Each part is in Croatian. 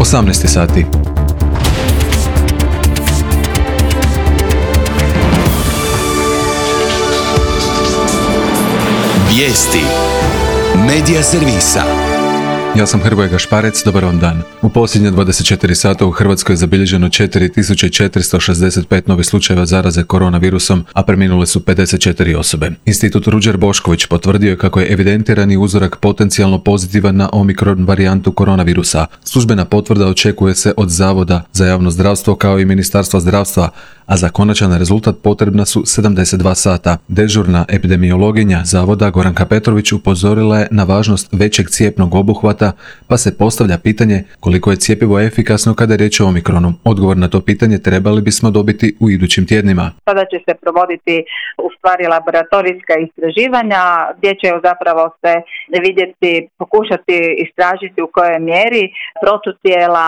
18 sati. Vijesti Medija servisa. Ja sam Hrvoje Gašparec, dobar vam dan. U posljednje 24 sata u Hrvatskoj je zabilježeno 4465 novih slučajeva zaraze koronavirusom, a preminule su 54 osobe. Institut Ruđer Bošković potvrdio je kako je evidentirani uzorak potencijalno pozitivan na omikron varijantu koronavirusa. Službena potvrda očekuje se od Zavoda za javno zdravstvo kao i Ministarstva zdravstva, a za konačan rezultat potrebna su 72 sata. Dežurna epidemiologinja Zavoda Goranka Petrović upozorila je na važnost većeg cjepnog obuhvata, pa se postavlja pitanje koliko je cjepivo efikasno kada je riječ o omikronu. Odgovor na to pitanje trebali bismo dobiti u idućim tjednima. Sada će se provoditi u stvari laboratorijska istraživanja gdje će zapravo se vidjeti, pokušati istražiti u kojoj mjeri protutijela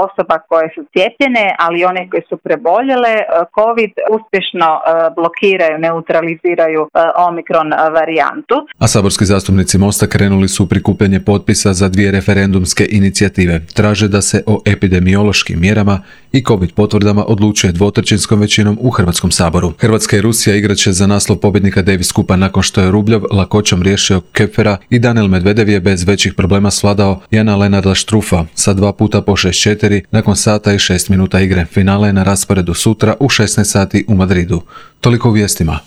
osoba koje su cijepljene, ali i one koje su preboljele COVID uspješno blokiraju, neutraliziraju omikron varijantu. A saborski zastupnici Mosta krenuli su u prikupljanje potpisa za 2 referendumske inicijative. Traže da se o epidemiološkim mjerama i COVID potvrdama odlučuje 2/3 većinom u Hrvatskom saboru. Hrvatska i Rusija igraće za naslov pobjednika Davis Cupa nakon što je Rubljov lakoćom riješio Kepfera i Daniel Medvedev je bez većih problema svladao Jana Lenarda Štrufa sa 2 puta po 6-4 nakon sata i 6 minuta igre. Finale je na rasporedu sutra u 16 sati u Madridu. Toliko u vijestima.